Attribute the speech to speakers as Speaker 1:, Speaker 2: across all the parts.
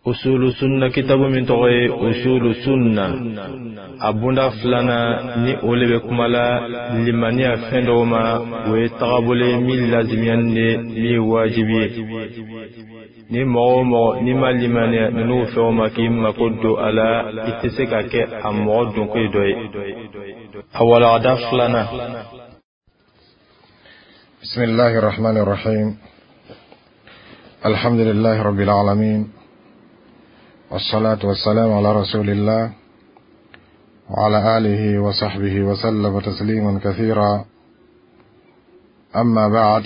Speaker 1: Usulu sunna kitabu min tɔgɔ ye usulu sunna, a bunda filanan ni o le bɛ kuma la limaniya fɛn dɔw ma, o ye tagabolo ye min lazimiyani de, min ye wajibi ye. Ni mɔgɔ o mɔgɔ n'i ma limaniya ninnu fɛnw ma k'i mako don a la, i tɛ se ka kɛ a mɔgɔ donko ye dɔ ye. A walagada filanan.
Speaker 2: بسم الله الرحمن الرحيم. الحمد لله رب العالمين، والصلاة والسلام على رسول الله وعلى آله وصحبه وسلم تسليما كثيرا. أما بعد،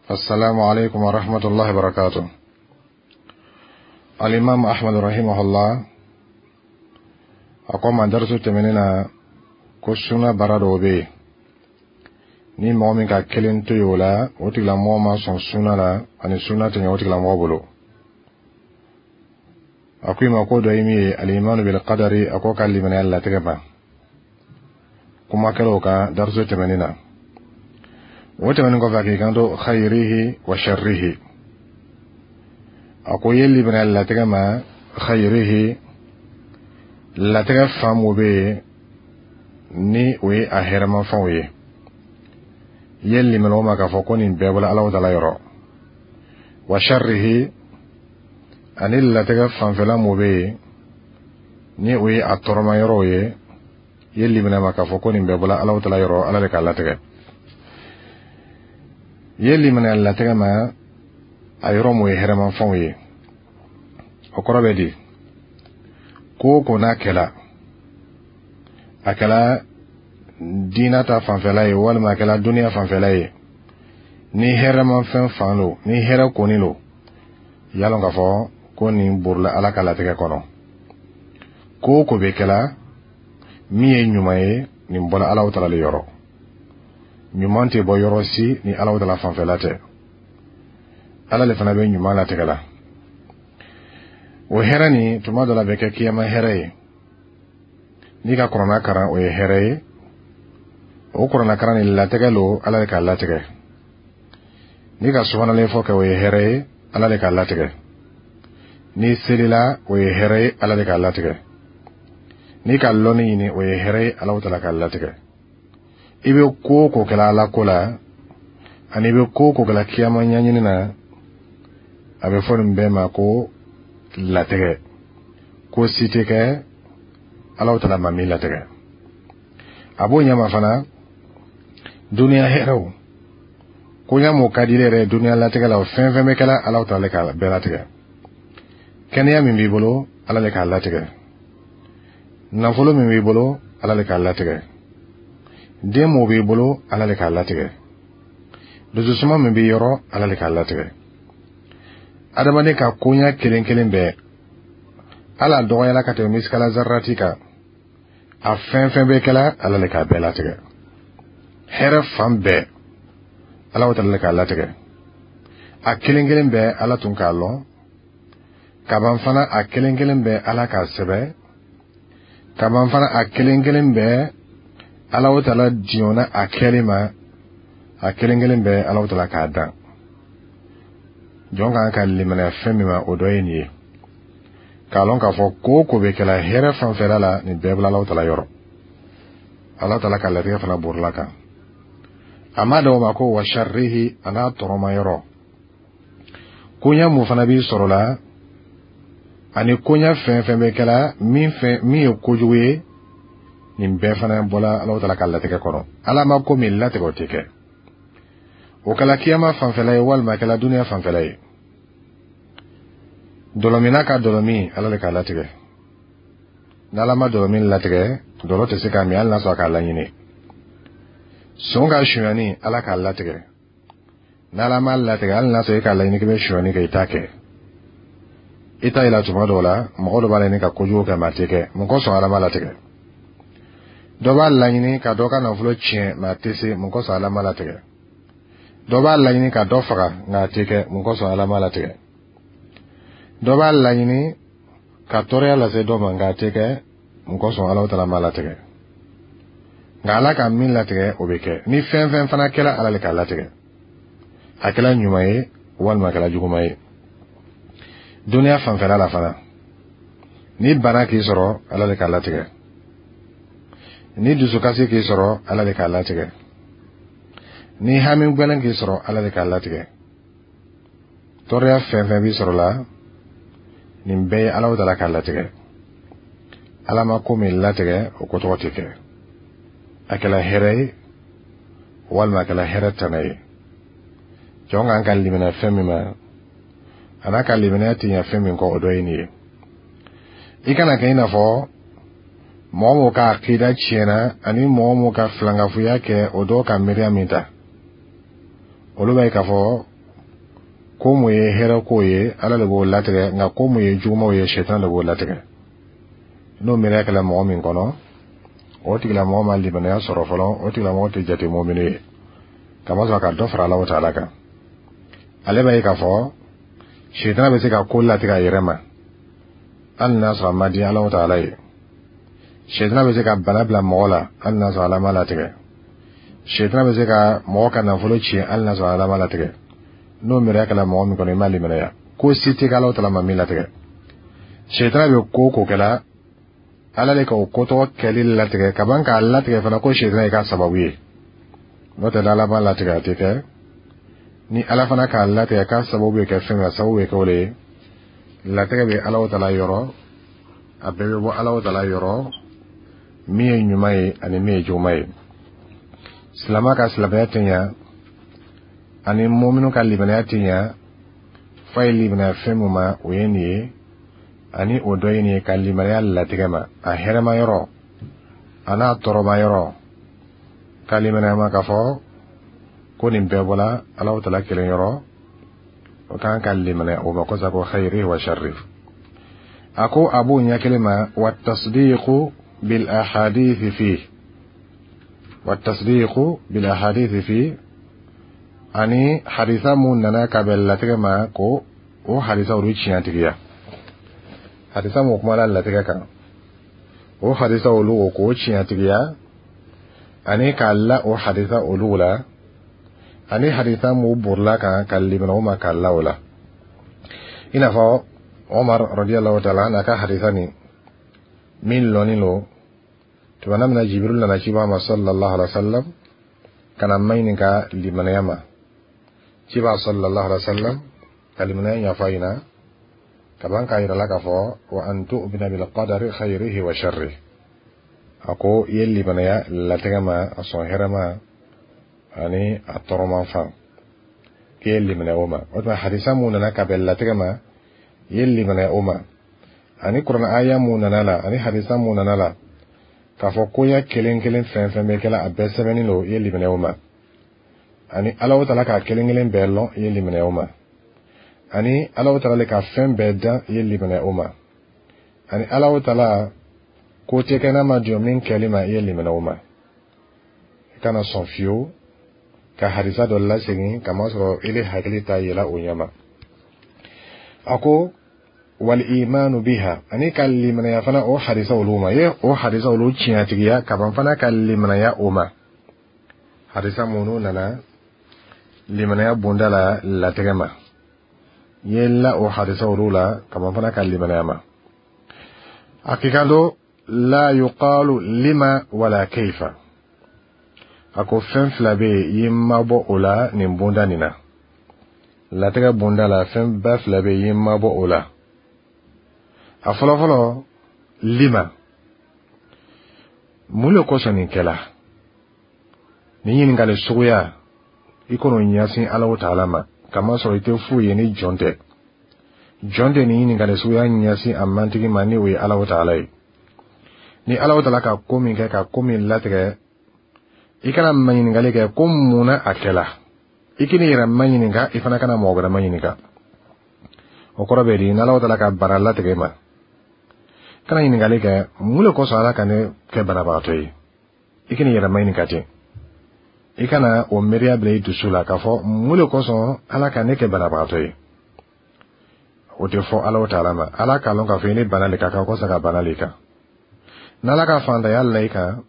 Speaker 2: فالسلام عليكم ورحمة الله وبركاته. الإمام أحمد رحمه الله أقوم درس تمننا كسنا برادو بي ni mɔgɔ min ka kelen to yen o la, o tigilamɔgɔ ma sɔn suna la ani suna tɛ ɲɛ o tigilamɔgɔ bolo. A ko i ma ko dɔ ye min ye الإيمان بالقدر, a ko ka limaniya latigɛ ma. Kuma kɛra o kan dariso tɛmɛnen na. O tɛmɛnen kɔfɛ, a k'i kanto خيره وشره. A ko i ye limaniya latigɛ ma خيره, latigɛ fan mun bɛ yen ni o ye a hɛrɛmafɛnw ye, i ye limaniya o ma k'a fɔ ko nin bɛɛ bɔra Alahu Taala yɔrɔ. وشره, ani latigɛ fanfɛla mun bɛ yen ni o ye a tɔɔrɔma yɔrɔw ye, i ye limaniya ma k'a fɔ ko nin bɛɛ bɔra Alahu Taala yɔrɔ, Ala de k'a latigɛ. I ye limaniya latigɛ ma a yɔrɔ mun ye hɛrɛmafɛnw ye, o kɔrɔ bɛ di? Ko o ko n'a kɛla, a kɛla diina ta fanfɛla ye walima a kɛla duniya fanfɛla ye, ni hɛrɛmafɛn fan don, ni hɛrɛ kɔni don, y'a lɔn k'a fɔ ko nin borila Ala ka latigɛ kɔnɔ. Ko o ko bɛ kɛla min ye ɲuman ye, nin bɔra Alahu Taala le yɔrɔ. Ɲuman tɛ bɔ yɔrɔ si ni Alahu Taala fanfɛla tɛ. Ala le fana bɛ ɲuman latigɛ la. O hɛrɛ nin, tuma dɔ la, bɛ kɛ kiyama hɛrɛ ye. N'i ka kuranna karan, o ye hɛrɛ ye. O kuranna karan nin, latigɛ lo, Ala de k'a latigɛ. N'i ka subanalen fɔ kɛ, o ye hɛrɛ ye, Ala de k'a latigɛ. N'i selila, o ye hɛrɛ ye, Ala de k'a latigɛ. N'i ka lɔnni ɲini, o ye hɛrɛ ye, Ala Taala k'a latigɛ. I bɛ ko o ko kɛla Ala ko la ani i bɛ ko o ko kɛla kiyama ɲɛɲini na, a bɛ fɔ nin bɛɛ ma ko latigɛ. Ko si tɛ kɛ Ala Taala ma min latigɛ. A b'o ɲɛma fana duniya hɛrɛw, koɲa m'o ka di yɛrɛ duniya latigɛ la, o fɛn fɛn bɛ kɛla, Ala Taala k'a bɛɛ latigɛ. Kɛnɛya min b'i bolo, Ala le k'a latigɛ. Nafolo min b'i bolo, Ala le k'a latigɛ. Den mun b'i bolo, Ala le k'a latigɛ. Dususuma min b'i yɔrɔ, Ala le k'a latigɛ. Adamaden ka koɲa kelen kelen bɛɛ, ala dɔgɔyala ka tɛmɛ misikala zarati kan, a fɛn fɛn bɛ kɛla, Ala le k'a bɛɛ latigɛ. Hɛrɛ fan bɛɛ, Ala Taala le k'a latigɛ. A kelen kelen bɛɛ, Ala tun k'a lɔn kaban fana. A kelen kelen bɛɛ, Ala k'a sɛbɛ kaban fana. A kelen kelen bɛɛ, Ala Taala diɲɔna a kɛli ma. A kelen kelen bɛɛ, Ala Taala k'a dan. Jɔn kan ka limaniya fɛn min ma, o dɔ ye nin ye, k'a lɔn k'a fɔ ko o ko bɛ kɛla hɛrɛ fanfɛla la, nin bɛɛ bɔla Ala Taala yɔrɔ. Ala Taala ka latigɛ fana borila kan. A ma da o ma ko وشره, a n'a tɔrɔma yɔrɔ, koɲa mun fana b'i sɔrɔ la ani koɲa fɛn fɛn bɛ kɛla min fɛn min ye kojugu ye, nin bɛɛ fana bɔla Ala Taala ka latigɛ kɔnɔ. Ala ma ko min latigɛ, o tɛ kɛ. O kɛla kiyama fanfɛla ye walima a kɛla duniya fanfɛla ye. Dɔlɔminna ka dɔlɔmin, Ala le k'a latigɛ. N'Ala ma dɔlɔmin latigɛ, dɔlɔ tɛ se k'a min hali n'a sɔrɔ a k'a laɲini. Son ka sonyani, Ala k'a latigɛ. N'Ala ma latigɛ, hali n'a sɔrɔ e k'a laɲini k'i bɛ sonyani kɛ, i t'a kɛ. I t'a yira tuma dɔw la, mɔgɔ dɔ b'a laɲini ka kojugu kɛ, mɛ a tɛ kɛ. Mun kosɔn? Ala ma latigɛ. Dɔ b'a laɲini ka dɔ ka nafolo tiɲɛ, mɛ a tɛ se. Mun kosɔn? Ala ma latigɛ. Dɔ b'a laɲini ka dɔ faga, nka a tɛ kɛ. Mun kosɔn? Ala ma latigɛ. Dɔ b'a laɲini ka tɔɔrɔya lase dɔ ma, nka a tɛ kɛ. Mun kosɔn? Ala Taala ma latigɛ. Nka Ala ka min latigɛ, o bɛ kɛ. Ni fɛn fɛn fana kɛra, Ala le k'a latigɛ, a kɛra ɲuman ye walima a kɛra juguman ye. Duniya fanfɛla la fana, ni bana k'i sɔrɔ, Ala le k'a latigɛ. Ni dusukasi k'i sɔrɔ, Ala le k'a latigɛ. Ni hami gbɛlɛn k'i sɔrɔ, Ala le k'a latigɛ. Tɔɔrɔya fɛn fɛn b'i sɔrɔ la, nin bɛɛ ye Ala taala k'a latigɛ. Ala ma ko min latigɛ, o ko tɔgɔ tɛ kɛ. A kɛla hɛrɛ ye walima a kɛla hɛrɛ tana ye, jɔn kan ka limaniya fɛn min ma, a n'a ka limaniya tɛ ɲɛ fɛn min kɔ, o dɔ ye nin ye. I kana kɛ i n'a fɔ mɔgɔ mɔgɔ ka akida tiɲɛna ani mɔgɔ mɔgɔ ka filankafoya kɛ, o dɔw ka miiriya min ta, olu b'a ye k'a fɔ ko mun ye hɛrɛ ko ye, Ala de b'o latigɛ, nka ko mun ye jugumanw ye, Sɛtan de b'o latigɛ. N'o miiriya kɛla mɔgɔ min kɔnɔ, o tigilamɔgɔ ma limaniya sɔrɔ fɔlɔ, o tigilamɔgɔ tɛ jate mɔmini ye, kamasɔrɔ ka dɔ fara Ala taala kan. Ale b'a ye k'a fɔ Sɛtan bɛ se ka ko latigɛ a yɛrɛ ma, hali n'a sɔrɔ a ma di Ala taala ye. Sɛtan bɛ se ka bana bila mɔgɔ la, hali n'a sɔrɔ Ala ma latigɛ. Sɛtan bɛ se ka mɔgɔ ka nafolo tiɲɛ, hali n'a sɔrɔ Ala ma latigɛ. N'o miiriya kɛla mɔgɔ min kɔnɔ, i ma limaniya. Ko si tɛ kɛ Ala taala ma min latigɛ. Sɛtan bɛ ko o ko kɛla, Ala le ka o ko tɔgɔ kɛli latigɛ ka ban k'a latigɛ fana ko Sɛtan ye k'a sababu ye. N'o tɛ, n'Ala ma latigɛ, a tɛ kɛ. Ni Ala fana k'a latigɛ k'a sababu bɛ kɛ fɛn min, a sababu bɛ kɛ o de ye. Latigɛ bɛ Ala taala yɔrɔ, a bɛɛ bɛ bɔ Ala taala yɔrɔ, min ye ɲuman ye ani min ye juguman ye. Silama ka silamɛya tɛ ɲa ani mɔminu ka limaniya tɛ ɲa f'a ye limaniya fɛn min ma, o ye nin ye. Ani o dɔ ye nin ye, ka limaniya latigɛ ma, a hɛrɛma yɔrɔ a n'a tɔɔrɔma yɔrɔ, ka limaniya ma k'a fɔ ko nin bɛɛ bɔla Ala taala kelen yɔrɔ. O kan ka limaniya o ma kosa ko خيره وشره. A ko a b'o ɲɛ kelen ma والتصديق بالأحاديث فيه والتصديق بالأحاديث فيه, ani hadisa mun nana ka bɛn latigɛ ma, ko o hadisa olu tiɲɛtigiya. Hadisa mun kumala latigɛ kan, o hadisa olu o k'o tiɲɛtigiya, ani k'a la o hadisa olu la, ani hadisa mun borila kan, ka limana o ma, k'a la o la. I n'a fɔ Omar رضي الله تعالى عنه ka hadisa nin min lɔnni lo, tumana min na Jibril nana ciba ma صلى الله عليه وسلم ka na maɲininka limanaya ma, ciba صلى الله عليه وسلم ka limanaya ɲɛfɔ a ɲɛna ka ban k'a yira la k'a fɔ وأن تؤمن بالقدر خيره وشره. A ko i ye limanaya latigɛ ma, a sɔn hɛrɛ ma ani a tɔɔrɔman fan, k'i ye limanaya o ma. O tuma hadisa mun nana ka bɛn latigɛ ma, i ye limanaya o ma, ani kuranɛ aya mun nana la, ani hadisa mun nana la k'a fɔ koɲɛ kelen kelen fɛn fɛn bɛ kɛla, a bɛɛ sɛbɛnni don, i ye limanaya o ma. Ani Ala taala k'a kelen kelen bɛɛ lɔn, i ye limanaya o ma. Ani Ala taala le ka fɛn bɛɛ dan, i ye limanaya o ma. Ani Ala taala ko tɛ kɛ n'a ma jɔ min kɛli ma, i ye limanaya o ma. I kana sɔn fiyewu ka hadisa dɔ lasegin kamasɔrɔ ile hakili t'a yɛlɛ o ɲɛ ma. A ko والإيمان بها, ani ka limanaya fana o hadisa olu ma, ye o hadisa olu tiɲɛtigiya ka ban fana ka limanaya o ma. Hadisa minnu nana limanaya bonda la latigɛ ma, ye la o hadisa olu la ka ban fana ka limanaya ma. A k'i kan do لا يقال لم ولا كيف. A ko fɛn fila bɛ yen, i ye mabɔ o la nin bonda nin na, latigɛ bonda la, fɛn ba fila bɛ yen, i ye mabɔ o la. A fɔlɔfɔlɔ, لم, mun le kosɔn nin kɛla? Nin ɲininkali suguya, i kɔnɔ ɲɛsin Ala taala ma, kamasɔrɔ i tɛ foyi ye ni jɔn tɛ. Jɔn tɛ nin ɲininkali suguya ɲɛsin a mantigi ma, ni o ye Ala taala ye. Ni Ala taala ka ko min kɛ, ka ko min latigɛ, i kana maɲininkali kɛ ko mun na a kɛla. I k'i yɛrɛ maɲininka, i fana kana mɔgɔ wɛrɛ maɲininka. O kɔrɔ bɛ di? N'Ala taala ka bana latigɛ ma, kana ɲininkali kɛ mun le kosɔn Ala ka ne kɛ banabagatɔ ye. I k'i yɛrɛ maɲininka ten, i kana o miiriya bila i dusu la k'a fɔ mun le kosɔn Ala ka ne kɛ banabagatɔ ye. O tɛ fɔ Ala taala ma. Ala k'a lɔn k'a fɔ i ni bana le ka kan kɔsa ka bana le kan. N'Ala ka fantanya la i kan,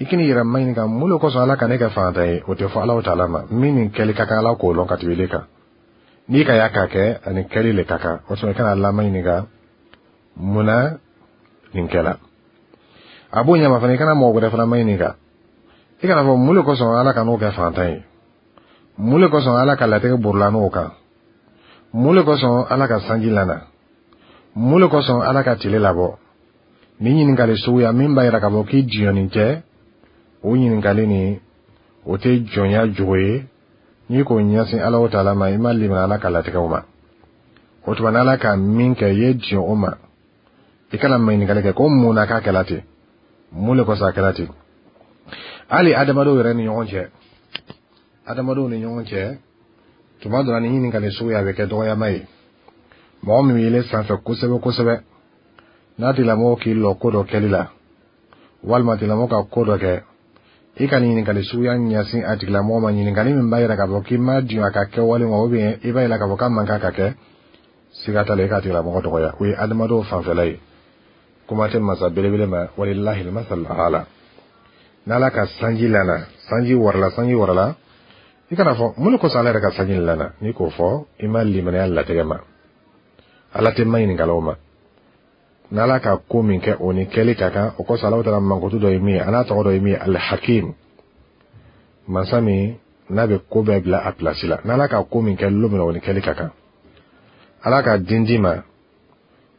Speaker 2: i k'i yɛrɛ maɲininka mun le kosɔn Ala ka ne kɛ fantan ye. O tɛ fɔ Ala taala ma. Min nin kɛli ka kan, Ala k'o lɔn ka tɛmɛ ile kan. N'i ka y'a k'a kɛ, ani kɛli le ka kan. O tuma, i kana Ala maɲininka mun na nin kɛla. A b'o ɲɛma fana, i kana mɔgɔ wɛrɛ fana maɲininka. I kana fɔ mun le kosɔn Ala ka n'o kɛ fantan ye, mun le kosɔn Ala ka latigɛ borila n'o kan, mun le kosɔn Ala ka sanji lana, mun le kosɔn Ala ka tile labɔ. Ni ɲininkali suguya min b'a yira k'a fɔ k'i jɔnnin tɛ, o ɲininkali nin, o tɛ jɔnya jogo ye. N'i k'o ɲɛsin Ala o taala ma, i ma limana Ala ka latigɛw ma. O tuma, n'Ala ka min kɛ, i ye diɲɛ o ma. I kana maɲininkali kɛ ko mun na k'a kɛla ten, mun le kosɔn a kɛla ten. Hali adamadenw yɛrɛ ni ɲɔgɔn cɛ, adamadenw ni ɲɔgɔn cɛ, tuma dɔ la, ni ɲininkali suguya bɛ kɛ dɔgɔyama ye. Mɔgɔ min bɛ yɛlɛ sanfɛ kosɛbɛ kosɛbɛ, n'a tigilamɔgɔ k'i lɔ ko dɔ kɛli la, walima tigilamɔgɔ ka ko dɔ kɛ, i ka nin ɲininkali suguya ɲɛsin a tigilamɔgɔ ma, ɲininkali min b'a yira k'a fɔ k'i ma diɲɛ a ka kɛwale ma, ou bien i b'a yira k'a fɔ k'a man kan ka kɛ, siga t'a la, i k'a tigilamɔgɔ dɔgɔya. O ye adamadenw fanfɛla ye, kuma tɛ masa belebele ma. Walilahi masal ala. N'Ala ka sanji lana, sanji warala, sanji warala, i kana fɔ mun de kosɔn Ala yɛrɛ ka sanji lana. N'i k'o fɔ, i ma limaniya latigɛ ma. Ala tɛ ma ɲininkalaw ma. N'Ala ka ko min kɛ, o ni kɛli ka kan. O kosɔn, Ala taala mankutu dɔ ye min ye, a n'a tɔgɔ dɔ ye min ye, Alhakim, masa min n'a bɛ ko bɛɛ bila a pilasi la. N'Ala ka ko min kɛ lon min na, o ni kɛli ka kan. Ala ka den d'i ma,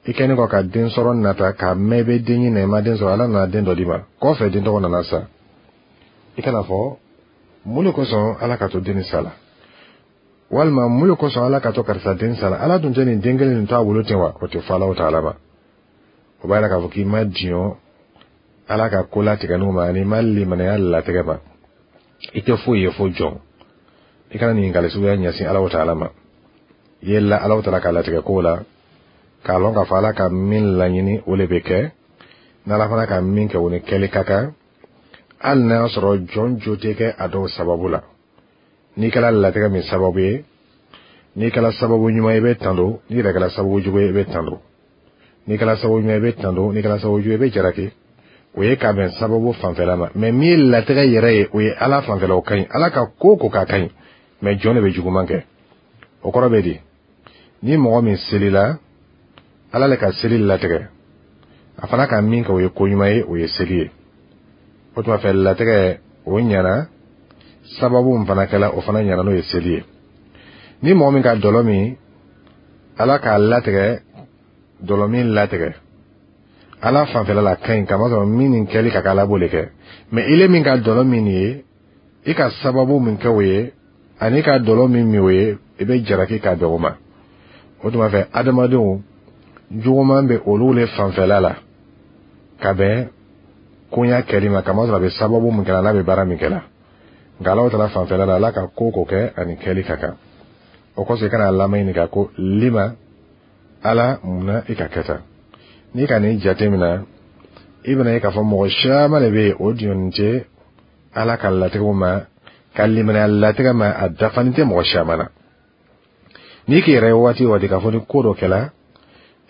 Speaker 2: i kɛlen kɔ ka den sɔrɔ nata k'a mɛn i bɛ den ɲini na, i ma den sɔrɔ, Ala nana den dɔ d'i ma. Kɔfɛ, den tɔgɔ nana sa, i kana fɔ mun de kosɔn Ala ka to den ni sa la, walima mun de kosɔn Ala ka to karisa den sa la, Ala dun tɛ nin den kelen nin to a bolo ten wa. O tɛ fɔ Ala taala ma. O b'a yira k'a fɔ k'i ma diɲɔ Ala ka ko latigɛ n'o ma, ani i ma limanaya latigɛ ma. I tɛ foyi ye fo jɔn. I kana ɲininkali suguya ɲɛsin Ala taala ma. I ye la Ala taala ka latigɛ ko la, k'a lɔn k'a fɔ Ala ka min laɲini, o de bɛ kɛ. N'Ala fana ka min kɛ, o ni kɛli ka kan, hali n'a y'a sɔrɔ jɔn jo tɛ kɛ a dɔw sababu la. N'i kɛra latigɛ min sababu ye, n'i kɛra sababu ɲuman ye, i bɛ tando. N'i yɛrɛ kɛra sababu jugu ye, i bɛ tando. N'i kɛra sababu ɲuman ye, i bɛ tando. N'i kɛra sababu jugu ye, i bɛ jalaki. O ye ka bɛn sababu fanfɛla ma. Mɛ min ye latigɛ yɛrɛ ye, o ye Ala fanfɛla, o ka ɲi. Ala ka ko ko k'a ka ɲi, mɛ jɔn de bɛ juguman kɛ. O kɔrɔ bɛ di? Ni mɔgɔ min selila, Ala le ka seli latigɛ. A fana ka min kɛ, o ye ko ɲuman ye, o ye seli ye. O tuma fɛ, latigɛ o ɲɛna, sababu min fana kɛla, o fana ɲɛna, n'o ye seli ye. Ni mɔgɔ min ka dɔlɔ min, Ala k'a latigɛ dɔlɔ min latigɛ, Ala fanfɛla la ka ɲi, kamasɔrɔ min nin kɛli ka kɛ, Ala b'o de kɛ. Mɛ ile min ka dɔlɔ min nin ye, i ka sababu min kɛ o ye, ani ka dɔlɔ min min o ye, i bɛ jalaki ka bɛn o ma. O tuma fɛ, adamadenw juguman bɛ olu le fanfɛla la ka bɛn koɲa kɛli ma, kamasɔrɔ a bɛ sababu min kɛla, n'a bɛ baara min kɛla. Nka Ala taala fanfɛla la, Ala ka ko ko kɛ, ani kɛli ka kan. O kosɔn, i kana Ala ɲininka ko lima, Ala, munna i ka kɛ tan. N'i ka nin jate minɛ, i bɛna ye k'a fɔ mɔgɔ caman de bɛ yen, o diɲɔni tɛ Ala ka latigɛw ma, ka limaniya latigɛ ma, a dafani tɛ mɔgɔ caman na. N'i k'i yɛrɛ ye waati o waati k'a fɔ ni ko dɔ kɛla,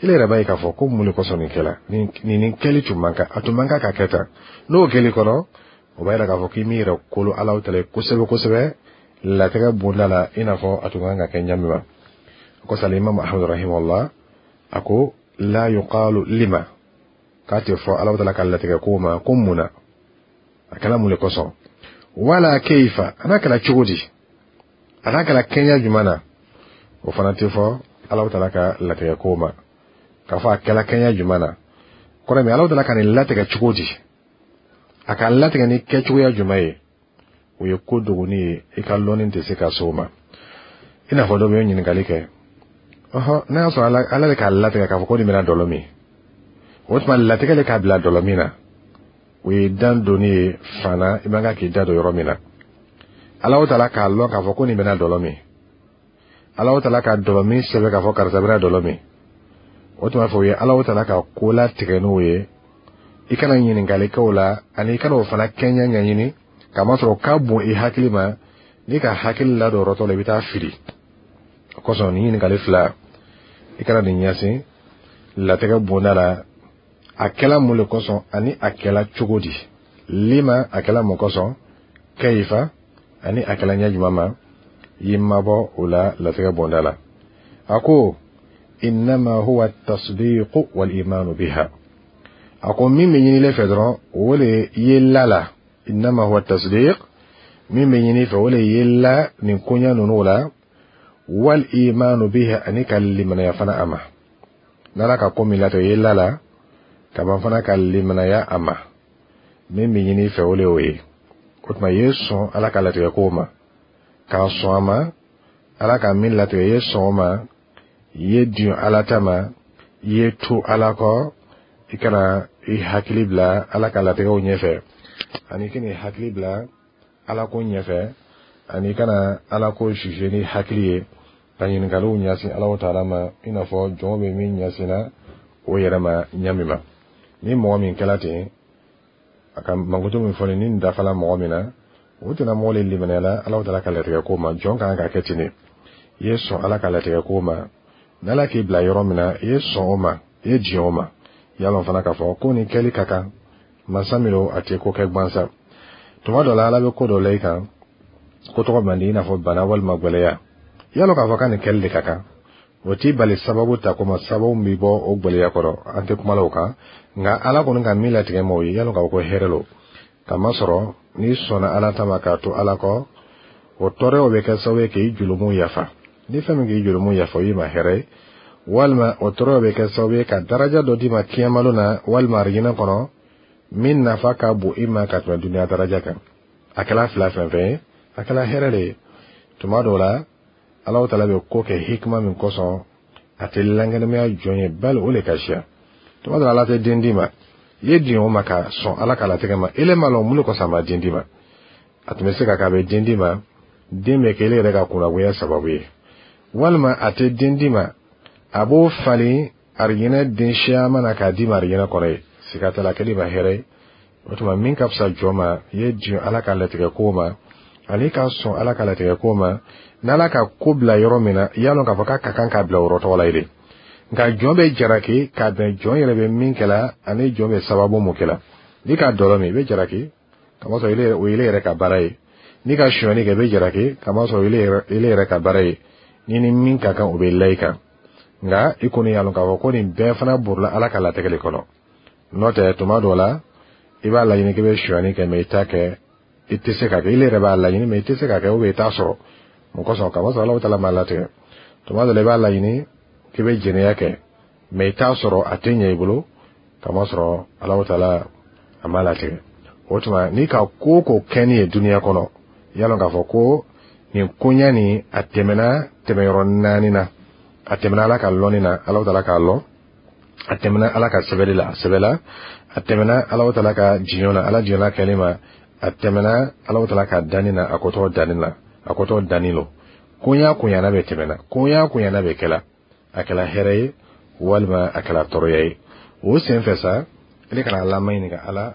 Speaker 2: ile yɛrɛ b'a ye k'a fɔ ko mun de kosɔn nin kɛla, nin kɛli tun man kan, a tun man kan ka kɛ tan. N'o kɛli kɔnɔ, o b'a yira k'a fɔ k'i m'i yɛrɛ kolo Ala ta kosɛbɛ kosɛbɛ latigɛ bonda la, i n'a fɔ a tun kan ka kɛ ɲa min ma. O kosɔn, Imam Ahmad rahimahullah a ko la yuqalu lima, k'a tɛ fɔ Ala taala ka latigɛ ko ma ko mun na a kɛla, mun de kosɔn, wala keifa, a n'a kɛra cogo di, a n'a kɛra kɛɲɛ jumɛn na. O fana tɛ fɔ Ala taala ka latigɛ ko ma k'a fɔ a kɛla kɛɲɛ jumɛn na. Kɔrɔ min, Ala taala ka nin latigɛ cogo di, a ka latigɛ ni kɛcogoya jumɛn ye, o ye ko dogoni ye, i ka lɔnni tɛ se ka s'o ma. I n'a fɔ dɔ bɛ ɲininkali kɛ: ɔhɔn, n'a y'a sɔrɔ Ala de k'a latigɛ k'a fɔ ko nin bɛna dɔlɔ min, o tuma latigɛ de k'a bila dɔlɔ min na, o ye dan donni ye fana, i man kan k'i da don yɔrɔ min na. Ala taala k'a lɔn k'a fɔ ko nin bɛna dɔlɔ min, Ala taala ka dɔlɔ min sɛbɛn k'a fɔ karisa bɛna dɔlɔ min, o tuma fɛ, o ye Ala taala ka ko latigɛ n'o ye. I kana ɲininkali kɛ o la, ani i kana o fana kɛɲɛ ɲɛɲini, kamasɔrɔ ka bon i hakili ma. N'i ka hakili ladon yɔrɔ tɔ la, i bɛ taa fili. O kosɔn, nin ɲininkali fila, i kana nin ɲɛsin latigɛ bonda la: a kɛla mun le kosɔn, ani a kɛla cogo di? Lima, a kɛla mun kosɔn? Kɛyifa, ani a kɛla ɲɛ jumɛn ma? I mabɔ o la latigɛ bonda la. A ko innama huwa tasdiqu wal imanu biha. A ko min bɛ ɲini fɛ dɔrɔn, o le ye la la. Innama huwa tasdiq, min bɛ ɲini fɛ, o le ye la nin koɲa ninnu la, wal imanu biha, ani ka limanaya fana a ma. N'Ala ka ko min latigɛ, i ye la la ka ban fana ka limanaya a ma. Min bɛ ɲini fɛ, o le y'o ye. O tuma, i ye sɔn Ala ka latigɛ kow ma, k'a sɔn a ma. Ala ka min latigɛ, i ye sɔn o ma, i ye diɲɛ Ala ta ma, i ye to Ala kɔ. I kana i hakili bila Ala ka latigɛw ɲɛfɛ, ani i kana i hakili bila Ala ko ɲɛfɛ, ani i kana Ala ko juger ni hakili ye, ka ɲininkaliw ɲɛsin Ala taala ma, i n'a fɔ jɔnw bɛ min ɲɛsinna o yɛrɛ ma ɲa min ma. Ni mɔgɔ min kɛla ten, a ka mankutu min fɔ ni nin dafala mɔgɔ min na, o tɛna mɔgɔ le limaniyala Ala taala ka latigɛ ko ma. Jɔn kan ka kɛ ten de. I ye sɔn Ala ka latigɛ ko ma, n'Ala k'i bila yɔrɔ min na, i ye sɔn o ma, i ye diɲɛ o ma. I y'a lɔn fana k'a fɔ ko nin kɛli ka kan. Masa min don, a tɛ ko kɛ gansan. Tuma dɔ la, Ala bɛ ko dɔ la i kan, ko tɔgɔ man di, i n'a fɔ bana walima gwɛlɛya. I y'a lɔn k'a fɔ k'a nin kɛli de ka kan, o t'i bali sababu ta ko ma, sababu min bɛ bɔ o gwɛlɛya kɔrɔ. An tɛ kuma la o kan, nka Ala kɔni ka min latigɛ ma, o ye i y'a lɔn k'a fɔ ko hɛrɛ lo. Kamasɔrɔ n'i sɔnna Ala ta ma k'a to Ala kɔ, o tɔɔrɔyaw bɛ kɛ sababu ye k'i julumu yafa. Ni fɛn min k'i julumu yafa, o y'i ma hɛrɛ ye. Walima o tɔɔrɔyaw bɛ kɛ sababu ye ka daraja dɔ d'i ma kiyamalo na, walima arijinɛ kɔnɔ, min nafa ka bon i ma ka tɛmɛ duniya daraja kan. A kɛla fila fɛn fɛn ye, a kɛla hɛrɛ de ye. Tuma dɔw la, Ala taala bɛ ko kɛ hikima min kosɔn, a tɛ lankɛnɛmaya jɔn ye, bali o le ka siya. Tuma dɔ la, Ala tɛ den d'i ma, i ye diɲɛ o ma ka sɔn Ala ka latigɛ ma. Ele m'a lɔn mun de kosɔn a ma den d'i ma. A tun bɛ se ka kɛ a bɛ den d'i ma, den bɛ kɛ ele yɛrɛ ka kunnagoya sababu ye, walima a tɛ den d'i ma, a b'o falen arijinɛ den siyaman na k'a d'i ma arijinɛ kɔnɔ ye. Siga t'a la, a kɛli ma hɛrɛ ye. O tuma, min ka fisa jɔn ma, i ye diɲɛ Ala ka latigɛ ko ma, ani ka sɔn Ala ka latigɛ ko ma. N'Ala ka ko bila yɔrɔ min na, i y'a lɔn k'a fɔ k'a ka kan k'a bila o yɔrɔ tɔgɔ la ye de. Nka jɔn bɛ jaraki ka bɛn jɔn yɛrɛ bɛ min kɛla ani jɔn bɛ sababu mun kɛla. N'i ka dɔlɔ min, i bɛ jaraki, kamasɔrɔ o ye yɛrɛ ka baara ye. N'i ka sonyani kɛ, i bɛ jaraki, kamasɔrɔ o ye yɛrɛ ka baara ye. Ni min ka kan, o bɛ la i kan. Nka i kɔni y'a lɔn k'a fɔ ko nin bɛɛ fana borila Ala ka latigɛ de kɔnɔ. N'o tɛ, tuma dɔ la, i b'a laɲini k'i bɛ sonyani kɛ, mɛ i t'a kɛ, i tɛ se ka kɛ. I yɛrɛ b'a laɲini, mɛ i tɛ se ka kɛ, ou bien i t'a sɔrɔ. Mun kosɔn? Kamasɔrɔ Ala taala m'a latigɛ. Tuma dɔ la, i b'a laɲini k'i bɛ jɛnɛya kɛ, mɛ i t'a sɔrɔ, a tɛ ɲɛ i bolo, kamasɔrɔ Ala taala a m'a latigɛ. O tuma, n'i ka ko o ko kɛ ni ye duniya kɔnɔ, i y'a lɔn k'a fɔ ko nin koɲa nin, a tɛmɛna tɛmɛyɔrɔ naani na. A tɛmɛna Ala ka lɔnni na, Ala taala k'a lɔn. A tɛmɛna Ala ka sɛbɛnni la, a sɛbɛla. A tɛmɛna Ala taala ka diɲɛ na, Ala diɲɛna kɛli ma. A tɛmɛna Ala taala ka danni na, a kotɔ danni na, a kotɔ danni lo. Koɲa koɲana bɛ tɛmɛna, koɲa koɲana bɛ kɛla, a kɛla hɛrɛ ye walima a kɛla tɔɔrɔya ye, o sen fɛ sa, ele kana Ala ma ɲininka: Ala,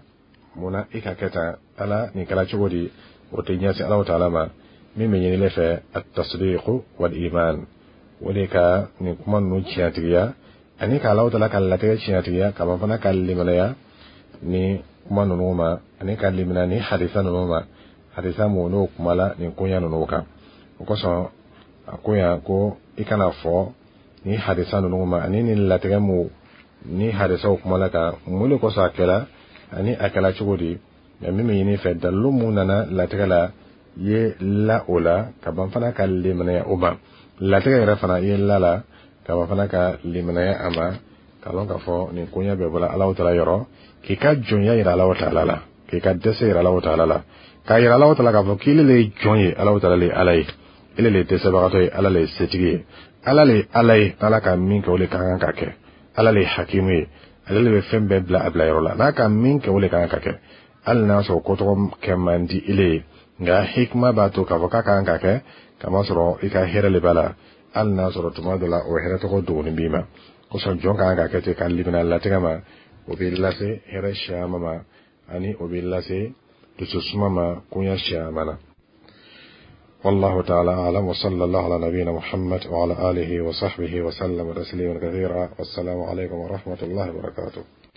Speaker 2: mun na i ka kɛ tan? Ala, nin kɛla cogo di? O tɛ ɲɛsin Ala taala ma. Min bɛ ɲini fɛ, at-tasdiqu wal iman, o de ka nin kuma ninnu tiɲɛtigiya, ani ka Ala taala ka latigɛ tiɲɛtigiya, ka ban fana ka limanaya ni kuma ninnu ma, ani ka limana ni hadisa ninnu ma, hadisa mun n'o kumala nin koɲa ninnu kan. O kosɔn, a ko yan ko i kana fɔ ni hadisa ninnu ma, ani nin latigɛ mu ni hadisaw kumala kan, mun de kosɔn a kɛla, ani a kɛla cogo di. Mɛ min bɛ ɲini fɛ, dalilu mun nana latigɛ la, i ye la o la, ka ban fana ka limanaya o ma. Latigɛ yɛrɛ fana, i ye la la, ka ban fana ka limanaya a ma, k'a lɔn k'a fɔ nin koɲɛ bɛɛ bɔra Ala taala yɔrɔ, k'i ka jɔnya yira Ala taala la, k'i ka dɛsɛ yira Ala taala la, k'a yira Ala taala k'a fɔ k'ile le ye jɔn ye, Ala taala le ye Ala ye, ele le ye dɛsɛbagatɔ ye, Ala le ye setigi ye, Ala le ye Ala ye. Ala ka min kɛ, o de ka kan ka kɛ. Ala le ye hakimu ye, ale le bɛ fɛn bɛɛ bila a bila yɔrɔ la. N'a ka min kɛ, o de ka kan ka kɛ, hali n'a sɔrɔ kotɔgɔ kɛ man di ile ye. Nka hikima b'a to k'a fɔ k'a ka kan ka kɛ, kamasɔrɔ i ka hɛrɛ le b'a la, hali n'a sɔrɔ tuma dɔ la o hɛrɛ tɔgɔ dogoni b'i ma. Kosɔn, jɔn ka kan ka kɛ ten, ka limina latigɛ ma. O b'i lase hɛrɛ siyaman ma, ani o b'i lase dususuma ma koɲɛ siyaman na. والله تعالى أعلم، وصلى الله على نبينا محمد وعلى آله وصحبه وسلم تسليما كثيرا، والسلام عليكم ورحمة الله وبركاته.